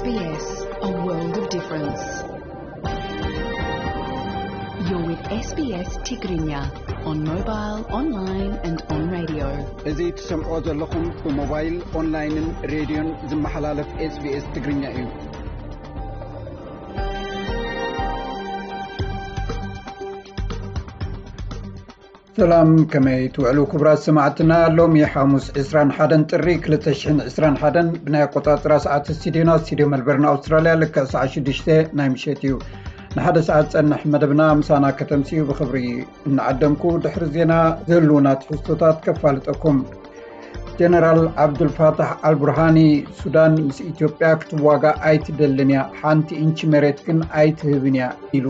S B S, a world of difference. You're with S B S Tigrinya on mobile, online and on radio. እዚ ትሰምዖ ዘለኹም ብሞባይል፣ ኦንላይንን ሬድዮን ዝመሓላለፍ S B S ትግርኛ እዩ። ሰላም፣ ከመይ ትውዕሉ ክቡራት ሰማዕትና? ሎሚ ሓሙስ ዕስራን ሓደን ጥሪ ክልተ ሽሕን ዕስራን ሓደን ብናይ ኣቆጻጽራ ሰዓት ስቱዲዮና፣ ስቱዲዮ መልበርን ኣውስትራልያ፣ ልክዕ ሰዓት ሽዱሽተ ናይ ምሸት እዩ። ንሓደ ሰዓት ጸንሕ መደብና ምሳና ከተምስዩ ብኽብሪ እናዓደምኩ፣ ድሕሪ ዜና ዝህልውና ትሕዝቶታት ከፋልጠኩም። ጀነራል ዓብዱልፋታሕ ኣልቡርሃኒ፣ ሱዳን ምስ ኢትዮጵያ ክትዋጋእ ኣይትደልን እያ፣ ሓንቲ ኢንቺ መሬት ግን ኣይትህብን እያ ኢሉ።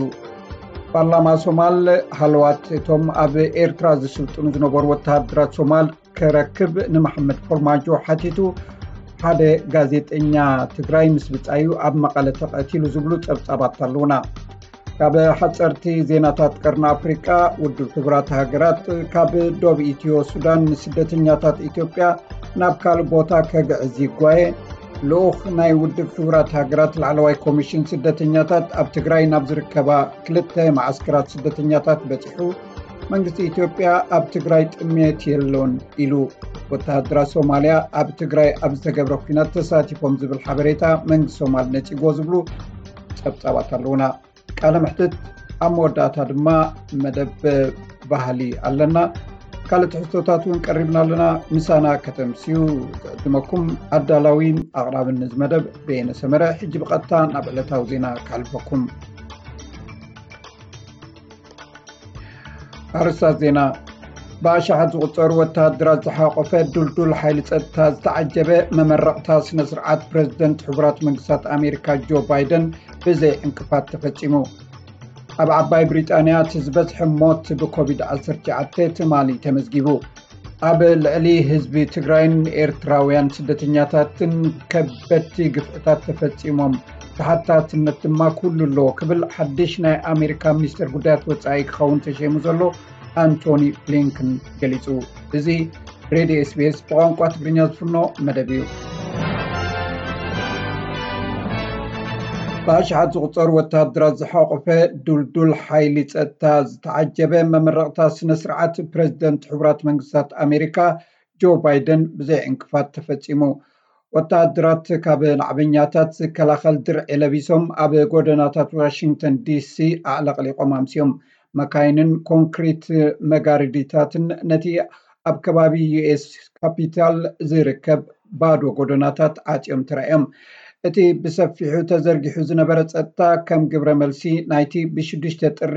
ፓርላማ ሶማል ሃለዋት እቶም ኣብ ኤርትራ ዝስልጥኑ ዝነበሩ ወተሃደራት ሶማል ክረክብ ንመሐመድ ፎርማጆ ሓቲቱ። ሓደ ጋዜጠኛ ትግራይ ምስ ብጻዩ ኣብ መቐለ ተቐቲሉ ዝብሉ ጸብጻባት ኣለዉና። ካብ ሓጸርቲ ዜናታት ቀርኒ ኣፍሪቃ፣ ውድብ ሕቡራት ሃገራት ካብ ዶብ ኢትዮ ሱዳን ንስደተኛታት ኢትዮጵያ ናብ ካልእ ቦታ ከግዕዝ ይጓየ። ልኡኽ ናይ ውድብ ሕቡራት ሃገራት ላዕለዋይ ኮሚሽን ስደተኛታት ኣብ ትግራይ ናብ ዝርከባ ክልተ መዓስከራት ስደተኛታት በጺሑ። መንግስቲ ኢትዮጵያ ኣብ ትግራይ ጥሜት የሎን ኢሉ። ወተሃደራት ሶማልያ ኣብ ትግራይ ኣብ ዝተገብረ ኲናት ተሳቲፎም ዝብል ሓበሬታ መንግስቲ ሶማል ነጺግዎ ዝብሉ ጸብጻባት ኣለዉና። ቃለ መሕትት ኣብ መወዳእታ ድማ መደብ ባህሊ ኣለና። ካልእ ትሕዝቶታት እውን ቀሪብና ኣለና። ምሳና ከተምስዩ ዝዕድመኩም ኣዳላዊን ኣቕራብን እዚ መደብ በየነ ሰመረ። ሕጂ ብቐጥታ ናብ ዕለታዊ ዜና ከሕልፈኩም። ኣርእስታት ዜና። ብኣሽሓት ዝቑጸሩ ወተሃደራት ዝሓቖፈ ዱልዱል ሓይሊ ጸጥታ ዝተዓጀበ መመረቕታ ስነ ስርዓት ፕረዚደንት ሕቡራት መንግስታት ኣሜሪካ ጆ ባይደን ብዘይ ዕንቅፋት ተፈጺሙ። ኣብ ዓባይ ብሪጣንያ እቲ ዝበዝሐ ሞት ብኮቪድ ዓሰርተ ትሽዓተ ትማሊ ተመዝጊቡ። ኣብ ልዕሊ ህዝቢ ትግራይን ኤርትራውያን ስደተኛታትን ከበድቲ ግፍዕታት ተፈጺሞም፣ ተሓታትነት ድማ ኩሉ ኣለዎ ክብል ሓድሽ ናይ ኣሜሪካ ሚኒስትር ጉዳያት ወጻኢ ክኸውን ተሸይሙ ዘሎ ኣንቶኒ ብሊንከን ገሊጹ። እዚ ሬድዮ S B S ብቋንቋ ትግርኛ ዝፍኖ መደብ እዩ። ብኣሽሓት ዝቑጸሩ ወተሃደራት ዝሓቖፈ ዱልዱል ሓይሊ ጸጥታ ዝተዓጀበ መመረቕታ ስነ ስርዓት ፕረዚደንት ሕቡራት መንግስታት ኣሜሪካ ጆ ባይደን ብዘይ ዕንቅፋት ተፈጺሙ። ወተሃደራት ካብ ናዕበኛታት ዝከላኸል ድርዒ ለቢሶም ኣብ ጎደናታት ዋሽንግተን ዲሲ ኣዕለቕሊቖም ኣምስዮም። መካይንን ኮንክሪት መጋረዲታትን ነቲ ኣብ ከባቢ ዩ ኤስ ካፒታል ዝርከብ ባዶ ጎደናታት ዓጽዮም ተራእዮም። እቲ ብሰፊሑ ተዘርጊሑ ዝነበረ ጸጥታ ከም ግብረ መልሲ ናይቲ ብሽዱሽተ ጥሪ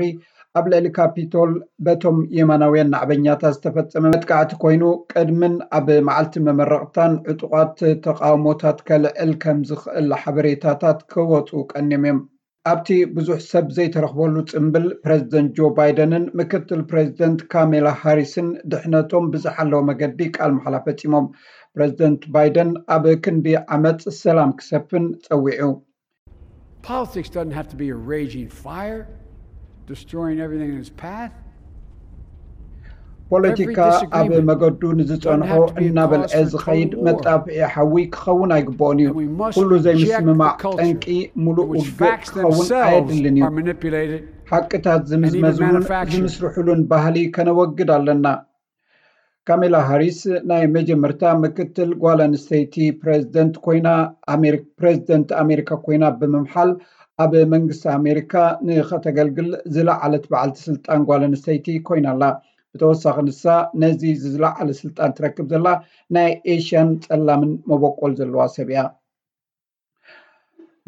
ኣብ ልዕሊ ካፒቶል በቶም የማናውያን ናዕበኛታት ዝተፈጸመ መጥቃዕቲ ኮይኑ፣ ቅድምን ኣብ መዓልቲ መመረቕታን ዕጡቓት ተቓውሞታት ከልዕል ከም ዝኽእል ሓበሬታታት ክወጹ ቀንዮም እዮም። ኣብቲ ብዙሕ ሰብ ዘይተረኽበሉ ጽምብል፣ ፕረዚደንት ጆ ባይደንን ምክትል ፕረዚደንት ካሜላ ሃሪስን ድሕነቶም ብዝሓለወ መገዲ ቃል መሓላ ፈጺሞም። ፕረዚደንት ባይደን ኣብ ክንዲ ዓመጽ ሰላም ክሰፍን ጸዊዑ። Politics doesn't have to be a raging fire, destroying everything in its path. ፖለቲካ ኣብ መገዱ ንዝጸንሖ እናበልዐ ዝኸይድ መጣፍዒ ሓዊ ክኸውን ኣይግብኦን እዩ። ኩሉ ዘይምስምማዕ ጠንቂ ሙሉእ ውግእ ክኸውን ኣየድልን እዩ። ሓቅታት ዝምዝመዝሉን ዝምስርሕሉን ባህሊ ከነወግድ ኣለና። ካሜላ ሃሪስ ናይ መጀመርታ ምክትል ጓል ኣንስተይቲ ፕረዚደንት ኮይና፣ ፕረዚደንት ኣሜሪካ ኮይና ብምምሓል፣ ኣብ መንግስቲ ኣሜሪካ ንኸተገልግል ዝለዓለት በዓልቲ ስልጣን ጓል ኣንስተይቲ ኮይና ኣላ። ብተወሳኺ ንሳ ነዚ ዝለዓለ ስልጣን ትረክብ ዘላ ናይ ኤሽያን ጸላምን መበቆል ዘለዋ ሰብ እያ።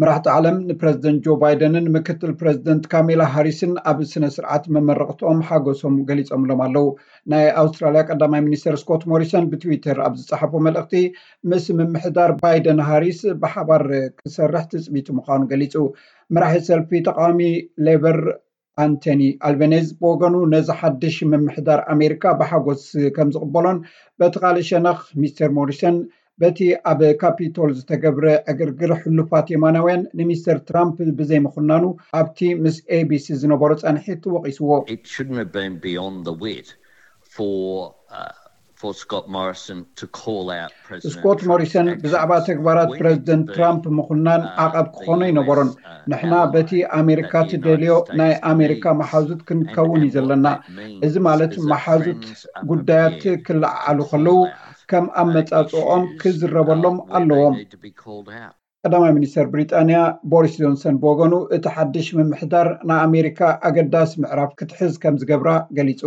መራሕቲ ዓለም ንፕረዚደንት ጆ ባይደንን ምክትል ፕረዚደንት ካሜላ ሃሪስን ኣብ ስነ ስርዓት መመረቕትኦም ሓጎሶም ገሊጾምሎም ኣለዉ። ናይ ኣውስትራልያ ቀዳማይ ሚኒስተር ስኮት ሞሪሰን ብትዊተር ኣብ ዝጸሓፎ መልእኽቲ፣ ምስ ምምሕዳር ባይደን ሃሪስ ብሓባር ክሰርሕ ትጽቢቱ ምዃኑ ገሊጹ። መራሒ ሰልፊ ተቃዋሚ ሌበር ኣንቶኒ ኣልበኔዝ ብወገኑ፣ ነዚ ሓድሽ ምምሕዳር ኣሜሪካ ብሓጎስ ከም ዝቕበሎን፣ በቲ ካልእ ሸነኽ ሚስተር ሞሪሰን በቲ ኣብ ካፒቶል ዝተገብረ ዕግርግር ሕሉፋት የማናውያን ንሚስተር ትራምፕ ብዘይምኹናኑ ኣብቲ ምስ ኤ ቢ ሲ ዝነበሮ ጻንሒት ወቒስዎ። It shouldn't have been beyond the wit for uh, for Scott Morrison to call out President ስኮት ሞሪሰን ብዛዕባ ተግባራት ፕረዚደንት ትራምፕ ምኹናን ዓቐብ ክኾኖ ኣይነበሮን። ንሕና በቲ ኣሜሪካ ትደልዮ ናይ ኣሜሪካ መሓዙት ክንከውን እዩ ዘለና። እዚ ማለት መሓዙት ጉዳያት ክለዓዓሉ ከለዉ ከም ኣመጻጽኦም ክዝረበሎም ኣለዎም። ቀዳማይ ሚኒስተር ብሪጣንያ ቦሪስ ጆንሰን ብወገኑ እቲ ሓድሽ ምምሕዳር ንኣሜሪካ ኣገዳሲ ምዕራፍ ክትሕዝ ከም ዝገብራ ገሊጹ።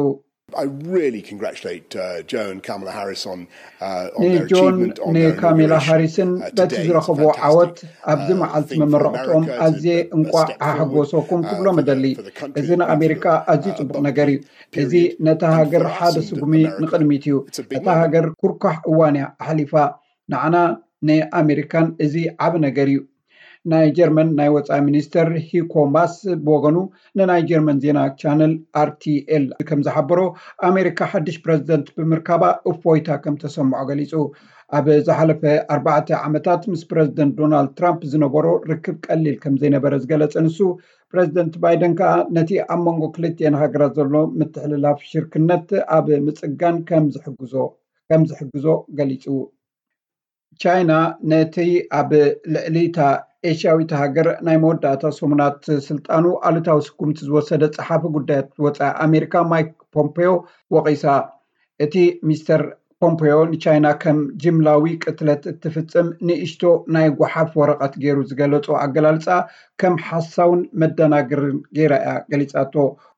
I really congratulate uh, Joe and Kamala Harris on uh, on their ንጆን achievement on their ንካሜላ inauguration ሃሪስን uh, በቲ today. It's ዝረኸብዎ fantastic. ዓወት ኣብዚ Uh, I መዓልቲ think for መመረቕቶም America, it's a ኣዝየ big እንቋዕ first step ኣሓጎሰኩም forward, uh, ክብሎም for the- እደሊ። For the country, እዚ it's ንኣሜሪካ been ኣዝዩ a ጽቡቕ bumpy ነገር እዩ። እዚ period. ነታ And ሃገር for us ሓደ in ስጉሚ America, ንቕድሚት እዩ። It's a big እታ moment. ሃገር ኩርኳሕ እዋን እያ ኣሕሊፋ። ንዓና ንኣሜሪካን እዚ ዓቢ ነገር እዩ። ናይ ጀርመን ናይ ወጻኢ ሚኒስተር ሂኮ ማስ ብወገኑ ንናይ ጀርመን ዜና ቻነል ኣርቲኤል ከም ዝሓበሮ፣ ኣሜሪካ ሓድሽ ፕረዚደንት ብምርካባ እፎይታ ከም ተሰምዖ ገሊጹ። ኣብ ዝሓለፈ ኣርባዕተ ዓመታት ምስ ፕረዚደንት ዶናልድ ትራምፕ ዝነበሮ ርክብ ቀሊል ከም ዘይነበረ ዝገለጸ ንሱ፣ ፕረዚደንት ባይደን ከኣ ነቲ ኣብ መንጎ ክልቲኤን ሃገራት ዘሎ ምትሕልላፍ ሽርክነት ኣብ ምጽጋን ከም ዝሕግዞ ከም ዝሕግዞ ገሊጹ። ቻይና ነቲ ኣብ ልዕሊ እታ ኤሽያዊት ሃገር ናይ መወዳእታ ሰሙናት ስልጣኑ ኣሉታዊ ስጉምቲ ዝወሰደ ጸሓፊ ጉዳያት ወጻኢ ኣሜሪካ ማይክ ፖምፔዮ ወቒሳ። እቲ ሚስተር ፖምፔዮ ንቻይና ከም ጅምላዊ ቅትለት እትፍጽም ንእሽቶ ናይ ጓሓፍ ወረቐት ገይሩ ዝገለጾ ኣገላልጻ ከም ሓሳውን መደናገርን ገይራ እያ ገሊጻቶ።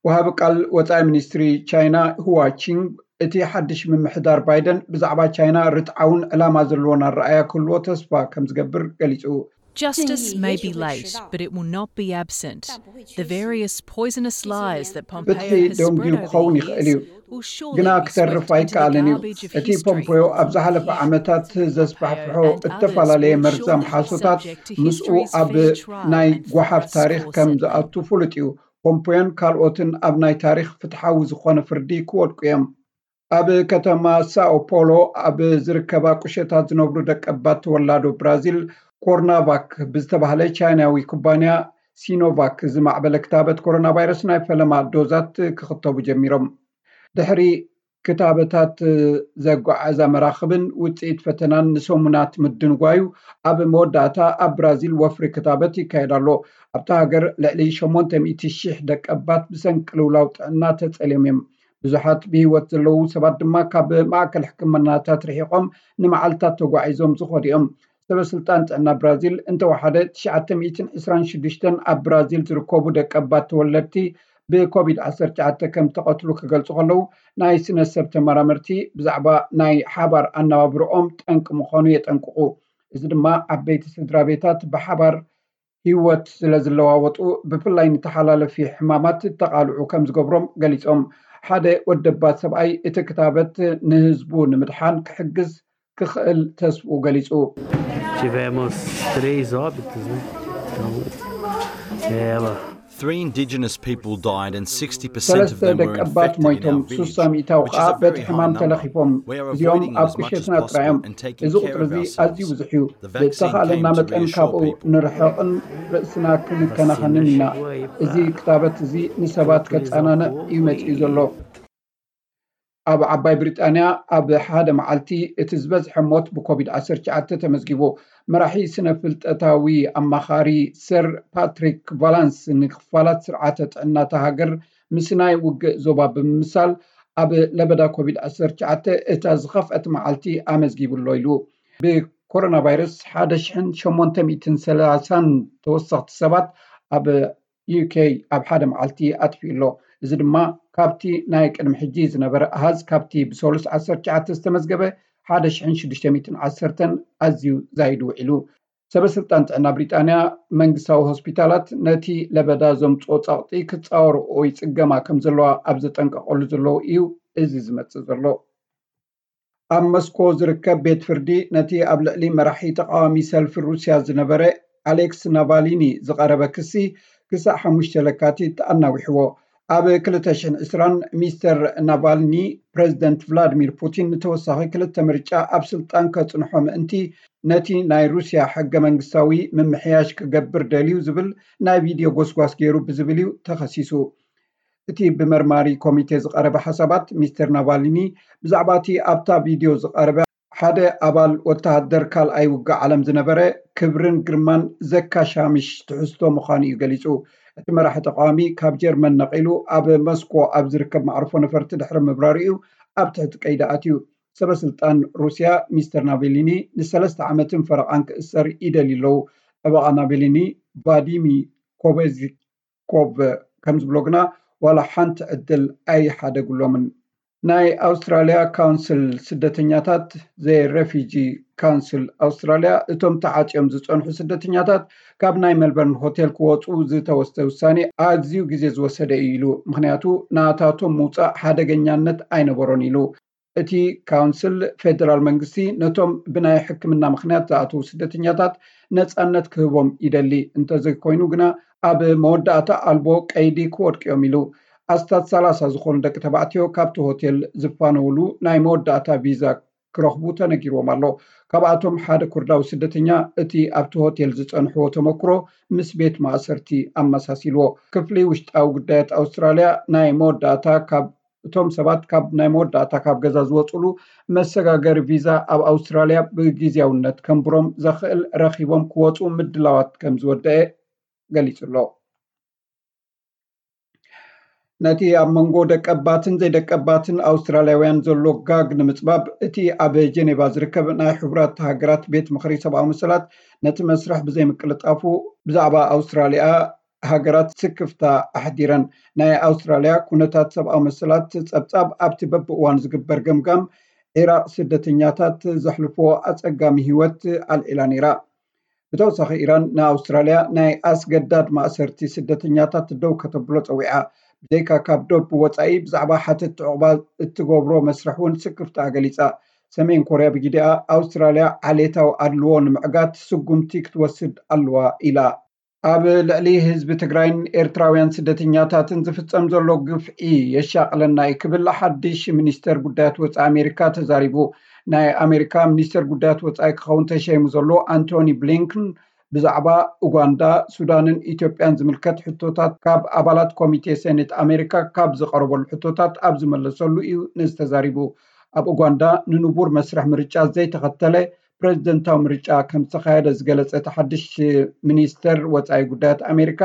ወሃቢ ቃል ወጻኢ ሚኒስትሪ ቻይና ሁዋ ቺንግ እቲ ሓድሽ ምምሕዳር ባይደን ብዛዕባ ቻይና ርትዓውን ዕላማ ዘለዎን ኣረኣእያ ክህልዎ ተስፋ ከም ዝገብር ገሊጹ። Justice may be late, but it will not be absent. The various poisonous lies that Pompeo ፍትሒ has ደንጉዩ spread over ክኸውን the ይኽእል እዩ፣ years will surely ግና be ክተርፍ swept into the ኣይከኣልን እዩ። Garbage of እቲ history. ፖምፖዮ ኣብ ዝሓለፈ ዓመታት ዘስፋሕፍሖ እተፈላለየ መርዛም ሓሶታት ምስኡ ኣብ ናይ ጓሓፍ ታሪኽ ከም ዝኣቱ ፍሉጥ እዩ። ፖምፖዮን ካልኦትን ኣብ ናይ ታሪኽ ፍትሓዊ ዝኾነ ፍርዲ ክወድቁ እዮም። ኣብ ከተማ ሳኦ ፖሎ ኣብ ዝርከባ ቁሸታት ዝነብሩ ደቀባት ተወላዶ ብራዚል ኮርናቫክ ብዝተባህለ ቻይናዊ ኩባንያ ሲኖቫክ ዝማዕበለ ክታበት ኮሮና ቫይረስ ናይ ፈለማ ዶዛት ክኽተቡ ጀሚሮም። ድሕሪ ክታበታት ዘጓዓዛ መራኽብን ውፅኢት ፈተናን ንሰሙናት ምድንጓዩ ኣብ መወዳእታ ኣብ ብራዚል ወፍሪ ክታበት ይካየድ ኣሎ። ኣብታ ሃገር ልዕሊ ሸሞንተ ሚእቲ ሺሕ ደቀባት ብሰንኪ ቅልውላው ጥዕና ተፀልዮም እዮም። ብዙሓት ብህይወት ዘለዉ ሰባት ድማ ካብ ማእከል ሕክምናታት ርሒቖም ንመዓልታት ተጓዒዞም ዝኾዱ እዮም። ሰበ ስልጣን ጥዕና ብራዚል እንተወሓደ ትሽዓተ ሚእትን ዕስራን ሽዱሽተን ኣብ ብራዚል ዝርከቡ ደቀባት ተወለድቲ ብኮቪድ ዓሰርተ ትሽዓተ ከም ተቐትሉ ክገልጹ ከለዉ፣ ናይ ስነ ሰብ ተመራመርቲ ብዛዕባ ናይ ሓባር ኣነባብርኦም ጠንቂ ምዃኑ የጠንቅቑ። እዚ ድማ ዓበይቲ ስድራ ቤታት ብሓባር ህይወት ስለ ዝለዋወጡ፣ ብፍላይ ንተሓላለፊ ሕማማት ተቓልዑ ከም ዝገብሮም ገሊጾም። ሓደ ወደባት ሰብኣይ እቲ ክታበት ንህዝቡ ንምድሓን ክሕግዝ ክኽእል ተስፍኡ ገሊጹ። Tivemos três óbitos, né? Então, é, ela Three indigenous people died and sixty percent of ሰለስተ them were ደቀባት infected in ሞይቶም፣ our village, ሱሳ ሚእታዊ which is ከዓ a በቲ very high ሕማም number. ተለኺፎም። We are እዚኦም avoiding ኣብ them as much as ቁሸትና ጥራይ እዮም። Possible and taking እዚ care ቁፅሪ of እዚ ኣዝዩ ourselves. ብዙሕ እዩ። The vaccine ብእተኻእለና came to መጠን reassure ካብኡ people. ንርሕቕን ርእስና ክንከናኸንን ኢና። እዚ ክታበት እዚ ንሰባት ከጻናንዕ እዩ መጺኡ ዘሎ። ኣብ ዓባይ ብሪጣንያ ኣብ ሓደ መዓልቲ እቲ ዝበዝሐ ሞት ብኮቪድ ዓሰርተ ትሽዓተ ተመዝጊቡ። መራሒ ስነ ፍልጠታዊ ኣማኻሪ ሰር ፓትሪክ ቫላንስ ንክፋላት ስርዓተ ጥዕና እታ ሃገር ምስ ናይ ውግእ ዞባ ብምምሳል፣ ኣብ ለበዳ ኮቪድ ዓሰርተ ትሽዓተ እታ ዝኸፍአት መዓልቲ ኣመዝጊቡ ኣሎ ኢሉ። ብኮሮና ቫይረስ ሓደ ሽሕን ሸሞንተ ሚእትን ሰላሳን ተወሰኽቲ ሰባት ኣብ ዩኬ ኣብ ሓደ መዓልቲ ኣጥፊኡ ኣሎ። እዚ ድማ ካብቲ ናይ ቅድሚ ሕጂ ዝነበረ ኣሃዝ፣ ካብቲ ብሰሉስ ዓሰርተ ትሽዓተ ዝተመዝገበ ሓደ ሽሕን ሽዱሽተ ሚእትን ዓሰርተን ኣዝዩ ዛይዱ ውዒሉ። ሰበ ስልጣን ጥዕና ብሪጣንያ መንግስታዊ ሆስፒታላት ነቲ ለበዳ ዘምጽኦ ጸቕጢ ክጻወርኦ ይጽገማ ከም ዘለዋ ኣብ ዘጠንቀቐሉ ዘለዉ እዩ እዚ ዝመጽእ ዘሎ። ኣብ መስኮ ዝርከብ ቤት ፍርዲ ነቲ ኣብ ልዕሊ መራሒ ተቓዋሚ ሰልፊ ሩስያ ዝነበረ ኣሌክስ ናቫሊኒ ዝቐረበ ክሲ ክሳዕ ሓሙሽተ ለካቲት ኣናዊሕዎ። ኣብ ክልተ ሽሕን ዕስራን ሚስተር ናቫልኒ ፕረዚደንት ቭላድሚር ፑቲን ንተወሳኺ ክልተ ምርጫ ኣብ ስልጣን ከጽንሖ ምእንቲ ነቲ ናይ ሩስያ ሕገ መንግስታዊ ምምሕያሽ ክገብር ደልዩ ዝብል ናይ ቪድዮ ጎስጓስ ገይሩ ብዝብል እዩ ተኸሲሱ። እቲ ብመርማሪ ኮሚቴ ዝቐረበ ሓሳባት፣ ሚስተር ናቫሊኒ ብዛዕባ እቲ ኣብታ ቪድዮ ዝቐረበ ሓደ ኣባል ወተሃደር ካልኣይ ውግእ ዓለም ዝነበረ ክብርን ግርማን ዘካሻምሽ ትሕዝቶ ምዃኑ እዩ ገሊጹ። እቲ መራሒ ተቃዋሚ ካብ ጀርመን ነቒሉ ኣብ ሞስኮ ኣብ ዝርከብ መዕርፎ ነፈርቲ ድሕሪ ምብራሩ እዩ ኣብ ትሕቲ ቀይዲ ኣትዩ። ሰበ ስልጣን ሩስያ ሚስተር ናቬሊኒ ንሰለስተ ዓመትን ፈረቓን ክእሰር ይደልዩ ኣለዉ። ጠበቓ ናቬሊኒ ቫዲሚ ኮበዚኮቭ ከም ዝብሎ ግና ዋላ ሓንቲ ዕድል ኣይሓደግሎምን። ናይ ኣውስትራልያ ካውንስል ስደተኛታት፣ ዘ ሬፊጂ ካውንስል ኣውስትራልያ፣ እቶም ተዓጽዮም ዝጸንሑ ስደተኛታት ካብ ናይ ሜልበርን ሆቴል ክወጹ ዝተወስደ ውሳኔ ኣዝዩ ግዜ ዝወሰደ እዩ ኢሉ። ምኽንያቱ ናታቶም ምውጻእ ሓደገኛነት ኣይነበሮን ኢሉ። እቲ ካውንስል ፌደራል መንግስቲ ነቶም ብናይ ሕክምና ምኽንያት ዝኣተዉ ስደተኛታት ነጻነት ክህቦም ይደሊ፣ እንተዘይኮይኑ ግና ኣብ መወዳእታ ኣልቦ ቀይዲ ክወድቅዮም ኢሉ። ኣስታት ሰላሳ ዝኾኑ ደቂ ተባዕትዮ ካብቲ ሆቴል ዝፋነውሉ ናይ መወዳእታ ቪዛ ክረኽቡ ተነጊርዎም ኣሎ። ካብኣቶም ሓደ ኩርዳዊ ስደተኛ እቲ ኣብቲ ሆቴል ዝጸንሕዎ ተመክሮ ምስ ቤት ማእሰርቲ ኣመሳሲልዎ። ክፍሊ ውሽጣዊ ጉዳያት ኣውስትራልያ ናይ መወዳእታ ካብ እቶም ሰባት ካብ ናይ መወዳእታ ካብ ገዛ ዝወፅሉ መሰጋገሪ ቪዛ ኣብ ኣውስትራልያ ብግዜያውነት ከንብሮም ዘኽእል ረኺቦም ክወፁ ምድላዋት ከም ዝወደአ ገሊጹ ኣሎ። ነቲ ኣብ መንጎ ደቀባትን ዘይደቀባትን ኣውስትራልያውያን ዘሎ ጋግ ንምጽባብ፣ እቲ ኣብ ጀኔቫ ዝርከብ ናይ ሕቡራት ሃገራት ቤት ምኽሪ ሰብኣዊ መሰላት ነቲ መስርሕ ብዘይምቅልጣፉ ብዛዕባ ኣውስትራልያ ሃገራት ስክፍታ ኣሕዲረን። ናይ ኣውስትራልያ ኩነታት ሰብኣዊ መሰላት ጸብጻብ ኣብቲ በብእዋኑ ዝግበር ገምጋም ዒራቕ ስደተኛታት ዘሕልፎ ኣጸጋሚ ህይወት ኣልዒላ ነይራ። ብተወሳኺ ኢራን ንኣውስትራልያ ናይ ኣስገዳድ ማእሰርቲ ስደተኛታት ደው ከተብሎ ጸዊዓ። ብዘይካ ካብ ዶብ ወጻኢ ብዛዕባ ሓተት ዕቑባ እትገብሮ መስርሕ እውን ስክፍታ ገሊጻ። ሰሜን ኮርያ ብጊዲኣ ኣውስትራልያ ዓሌታዊ ኣድልዎ ንምዕጋት ስጉምቲ ክትወስድ ኣለዋ ኢላ። ኣብ ልዕሊ ህዝቢ ትግራይን ኤርትራውያን ስደተኛታትን ዝፍጸም ዘሎ ግፍዒ የሻቕለና እዩ ክብል ሓድሽ ሚኒስተር ጉዳያት ወጻኢ ኣሜሪካ ተዛሪቡ። ናይ ኣሜሪካ ሚኒስተር ጉዳያት ወጻኢ ክኸውን ተሸይሙ ዘሎ ኣንቶኒ ብሊንክን ብዛዕባ ኡጋንዳ፣ ሱዳንን ኢትዮጵያን ዝምልከት ሕቶታት ካብ ኣባላት ኮሚቴ ሴኔት ኣሜሪካ ካብ ዝቐረበሉ ሕቶታት ኣብ ዝመለሰሉ እዩ ነዚ ተዛሪቡ። ኣብ ኡጋንዳ ንንቡር መስርሕ ምርጫ ዘይተኸተለ ፕሬዝደንታዊ ምርጫ ከም ዝተኻየደ ዝገለጸ እቲ ሓድሽ ሚኒስተር ወጻኢ ጉዳያት ኣሜሪካ፣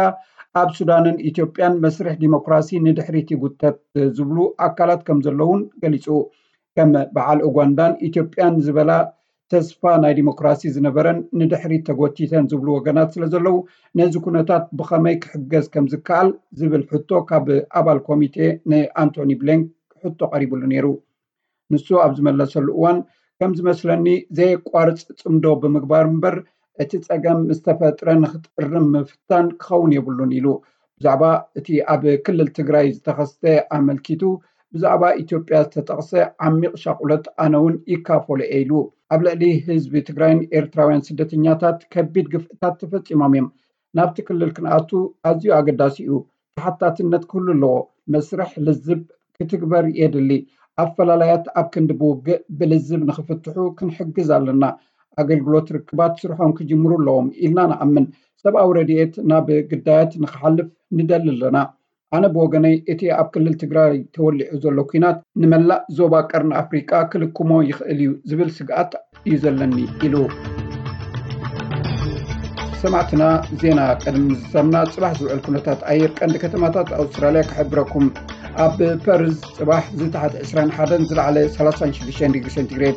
ኣብ ሱዳንን ኢትዮጵያን መስርሕ ዲሞክራሲ ንድሕሪት ይጉተት ዝብሉ ኣካላት ከም ዘለውን ገሊጹ። ከም በዓል ኡጋንዳን ኢትዮጵያን ዝበላ ተስፋ ናይ ዲሞክራሲ ዝነበረን ንድሕሪት ተጎቲተን ዝብሉ ወገናት ስለ ዘለዉ፣ ነዚ ኩነታት ብኸመይ ክሕገዝ ከም ዝከኣል ዝብል ሕቶ ካብ ኣባል ኮሚቴ ንኣንቶኒ ብሊንክ ሕቶ ቀሪብሉ ነይሩ። ንሱ ኣብ ዝመለሰሉ እዋን፣ ከም ዝመስለኒ ዘየቋርጽ ጽምዶ ብምግባር እምበር፣ እቲ ጸገም ምስ ተፈጥረ ንኽጥርም ምፍታን ክኸውን የብሉን ኢሉ። ብዛዕባ እቲ ኣብ ክልል ትግራይ ዝተኸስተ ኣመልኪቱ፣ ብዛዕባ ኢትዮጵያ ዝተጠቕሰ ዓሚቕ ሻቑሎት ኣነ እውን ይካፈሎ እየ ኢሉ። ኣብ ልዕሊ ህዝቢ ትግራይን ኤርትራውያን ስደተኛታት ከቢድ ግፍዕታት ተፈጺሞም እዮም። ናብቲ ክልል ክንኣቱ ኣዝዩ ኣገዳሲ እዩ። ተሓታትነት ክህሉ ኣለዎ። መስርሕ ልዝብ ክትግበር የድሊ። ኣፈላላያት ኣብ ክንዲ ብውግእ ብልዝብ ንኽፍትሑ ክንሕግዝ ኣለና። ኣገልግሎት ርክባት ስርሖም ክጅምሩ ኣለዎም ኢልና ንኣምን። ሰብኣዊ ረድኤት ናብ ግዳያት ንኽሓልፍ ንደሊ ኣለና። ኣነ ብወገነይ እቲ ኣብ ክልል ትግራይ ተወሊዑ ዘሎ ኲናት ንመላእ ዞባ ቀርኒ ኣፍሪቃ ክልክሞ ይኽእል እዩ ዝብል ስግኣት እዩ ዘለኒ ኢሉ። ሰማዕትና፣ ዜና ቅድሚ ምዝዛምና ጽባሕ ዝውዕል ኩነታት ኣየር ቀንዲ ከተማታት ኣውስትራልያ ክሕብረኩም። ኣብ ፐርዝ ጽባሕ ዝተሓተ ዕስራን ሓደን ዝለዓለ ሰላሳን ሽዱሽተን ዲግሪ ሴንቲግሬድ፣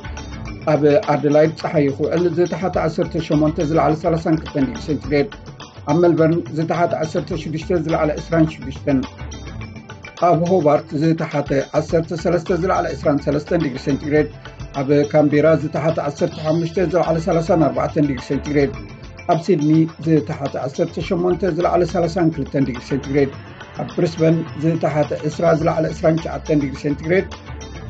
ኣብ ኣደላይድ ጸሓይ ክውዕል ዝተሓተ ዓሰርተ ሸሞንተ ዝለዓለ ሰላሳን ክልተን ዲግሪ ሴንቲግሬድ፣ ኣብ ሜልበርን ዝተሓተ ዓሰርተ ሽዱሽተ ዝለዓለ ዕስራን ሽዱሽተን፣ ኣብ ሆባርት ዝተሓተ ዓሰርተ ሰለስተ ዝለዓለ ዕስራን ሰለስተን ዲግሪ ሴንቲግሬድ፣ ኣብ ካምቤራ ዝተሓተ ዓሰርተ ሓሙሽተ ዝለዓለ ሰላሳን ኣርባዕተን ዲግሪ ሴንቲግሬድ፣ ኣብ ሲድኒ ዝተሓተ ዓሰርተ ሸሞንተ ዝለዓለ ሰላሳን ክልተን ዲግሪ ሴንቲግሬድ፣ ኣብ ብሪስበን ዝተሓተ ዕስራ ዝለዓለ ዕስራን ትሽዓተን ዲግሪ ሴንቲግሬድ፣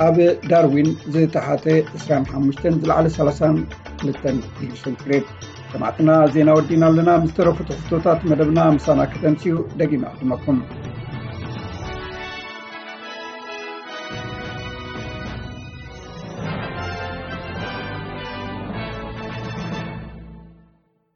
ኣብ ዳርዊን ዝተሓተ ዕስራን ሓሙሽተን ዝለዓለ ሰላሳን ክልተን ዲግሪ ሴንቲግሬድ። ሰማዕትና፣ ዜና ወዲና ኣለና። ምስ ተረፉ ትሕዝቶታት መደብና ምሳና ከተምስዩ ደጊመ ዕድመኩም።